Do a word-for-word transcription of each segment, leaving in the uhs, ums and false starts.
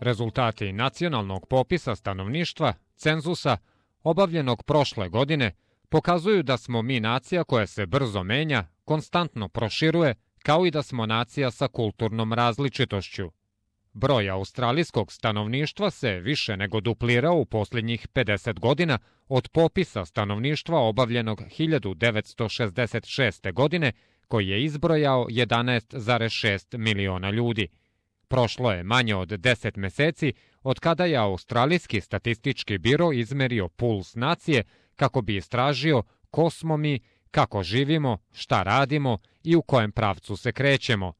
Rezultati nacionalnog popisa stanovništva, cenzusa, obavljenog prošle godine, pokazuju da smo mi nacija koja se brzo menja, konstantno proširuje, kao i da smo nacija sa kulturnom različitošću. Broj australijskog stanovništva se više nego duplirao u posljednjih pedeset godina od popisa stanovništva obavljenog hiljadu devetsto šezdeset šeste. godine, koji je izbrojao jedanaest zarez šest miliona ljudi. Prošlo je manje od deset meseci od kada je Australijski statistički biro izmerio puls nacije kako bi istražio ko smo mi, kako živimo, šta radimo i u kojem pravcu se krećemo.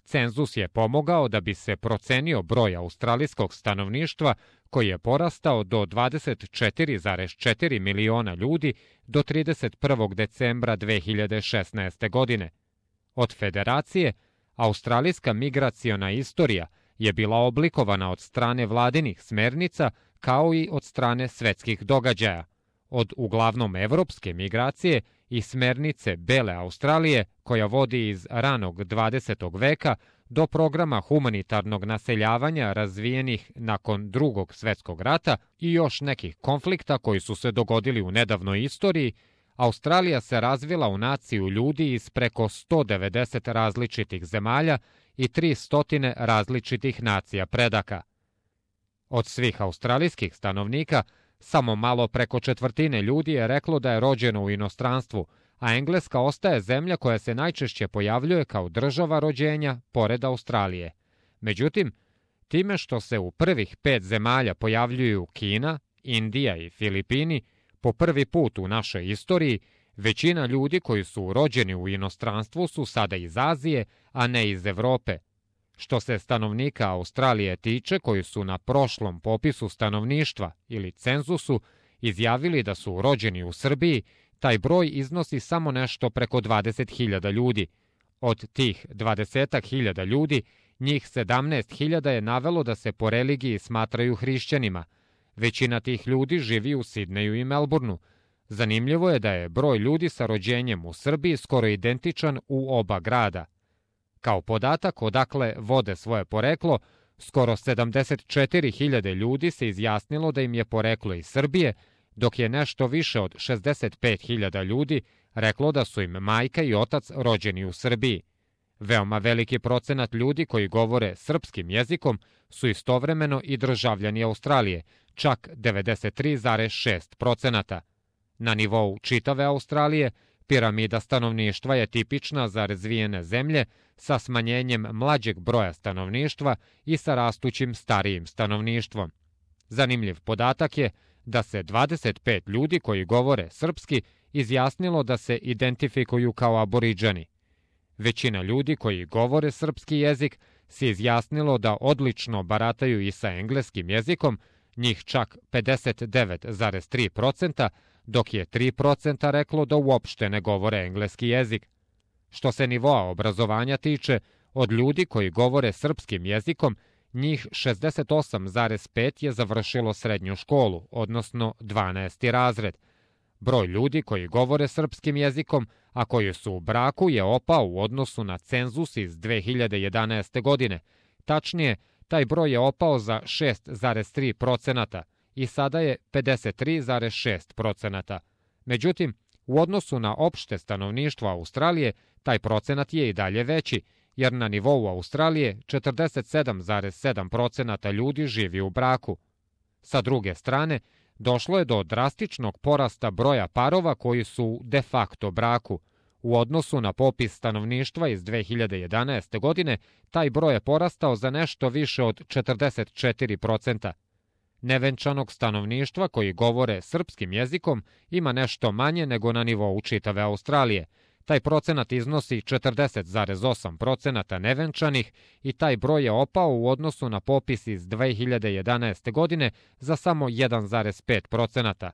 Cenzus je pomogao da bi se procenio broj australijskog stanovništva koji je porastao do dvadeset četiri zarez četiri miliona ljudi do trideset prvog decembra dve hiljade šesnaeste. godine. Od federacije, australijska migraciona istorija je bila oblikovana od strane vladinih smernica kao i od strane svetskih događaja. Od uglavnom evropske migracije i smernice Bele Australije, koja vodi iz ranog dvadesetog veka, do programa humanitarnog naseljavanja razvijenih nakon Drugog svetskog rata i još nekih konflikta koji su se dogodili u nedavnoj istoriji, Australija se razvila u naciju ljudi iz preko sto devedeset različitih zemalja i tristo različitih nacija predaka. Od svih australijskih stanovnika, samo malo preko četvrtine ljudi je reklo da je rođeno u inostranstvu, a Engleska ostaje zemlja koja se najčešće pojavljuje kao država rođenja pored Australije. Međutim, time što se u prvih pet zemalja pojavljuju Kina, Indija i Filipini, po prvi put u našoj istoriji, većina ljudi koji su rođeni u inostranstvu su sada iz Azije, a ne iz Evrope. Što se stanovnika Australije tiče, koji su na prošlom popisu stanovništva ili cenzusu izjavili da su rođeni u Srbiji, taj broj iznosi samo nešto preko dvadeset hiljada ljudi. Od tih dvadeset hiljada ljudi, njih sedamnaest hiljada je navelo da se po religiji smatraju hrišćanima. Većina tih ljudi živi u Sidneju i Melbourneu. Zanimljivo je da je broj ljudi sa rođenjem u Srbiji skoro identičan u oba grada. Kao podatak odakle vode svoje poreklo, skoro sedamdeset četiri hiljade ljudi se izjasnilo da im je poreklo iz Srbije, dok je nešto više od šezdeset pet hiljada ljudi reklo da su im majka i otac rođeni u Srbiji. Veoma veliki procenat ljudi koji govore srpskim jezikom su istovremeno i državljani Australije, čak devedeset tri zarez šest procenata. Na nivou čitave Australije, piramida stanovništva je tipična za razvijene zemlje sa smanjenjem mlađeg broja stanovništva i sa rastućim starijim stanovništvom. Zanimljiv podatak je da se dvadeset pet ljudi koji govore srpski izjasnilo da se identifikuju kao aboriđani. Većina ljudi koji govore srpski jezik se izjasnilo da odlično barataju i sa engleskim jezikom, njih čak pedeset devet zarez tri procenta, dok je tri procenta reklo da uopšte ne govore engleski jezik. Što se nivoa obrazovanja tiče, od ljudi koji govore srpskim jezikom, njih šezdeset osam zarez pet je završilo srednju školu, odnosno dvanaesti razred. Broj ljudi koji govore srpskim jezikom, a koji su u braku, je opao u odnosu na cenzus iz dve hiljade jedanaeste. godine. Tačnije, taj broj je opao za šest zarez tri procenata i sada je pedeset tri zarez šest procenata. Međutim, u odnosu na opšte stanovništvo Australije, taj procenat je i dalje veći, jer na nivou Australije četrdeset sedam zarez sedam procenata ljudi živi u braku. Sa druge strane, došlo je do drastičnog porasta broja parova koji su u de facto braku. U odnosu na popis stanovništva iz dve hiljade jedanaeste. godine, taj broj je porastao za nešto više od četrdeset četiri procenta. Nevenčanog stanovništva koji govore srpskim jezikom ima nešto manje nego na nivou čitave Australije. Taj procenat iznosi četrdeset zarez osam procenata nevenčanih i taj broj je opao u odnosu na popis iz dve hiljade jedanaeste. godine za samo jedan zarez pet procenata.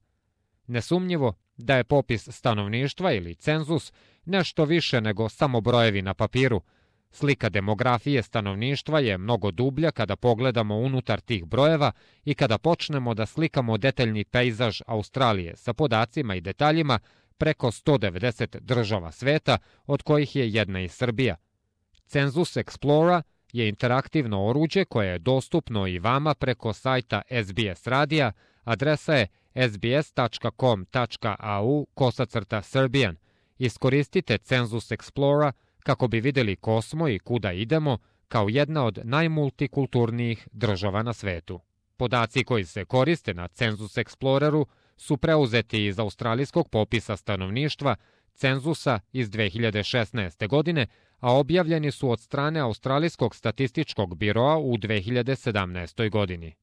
Nesumnjivo da je popis stanovništva ili cenzus nešto više nego samo brojevi na papiru. Slika demografije stanovništva je mnogo dublja kada pogledamo unutar tih brojeva i kada počnemo da slikamo detaljni pejzaž Australije sa podacima i detaljima preko sto devedeset država sveta, od kojih je jedna i Srbija. Cenzus Explora je interaktivno oruđe koje je dostupno i vama preko sajta S B S radija, adresa je s b s tačka com tačka a u kosacrta Serbian. Iskoristite Cenzus Explora kako bi vidjeli ko smo i kuda idemo kao jedna od najmultikulturnijih država na svetu. Podaci koji se koriste na Cenzus Exploreru su preuzeti iz australijskog popisa stanovništva cenzusa iz dve hiljade šesnaeste. godine, a objavljeni su od strane Australijskog statističkog biroa u dve hiljade sedamnaestoj. godini.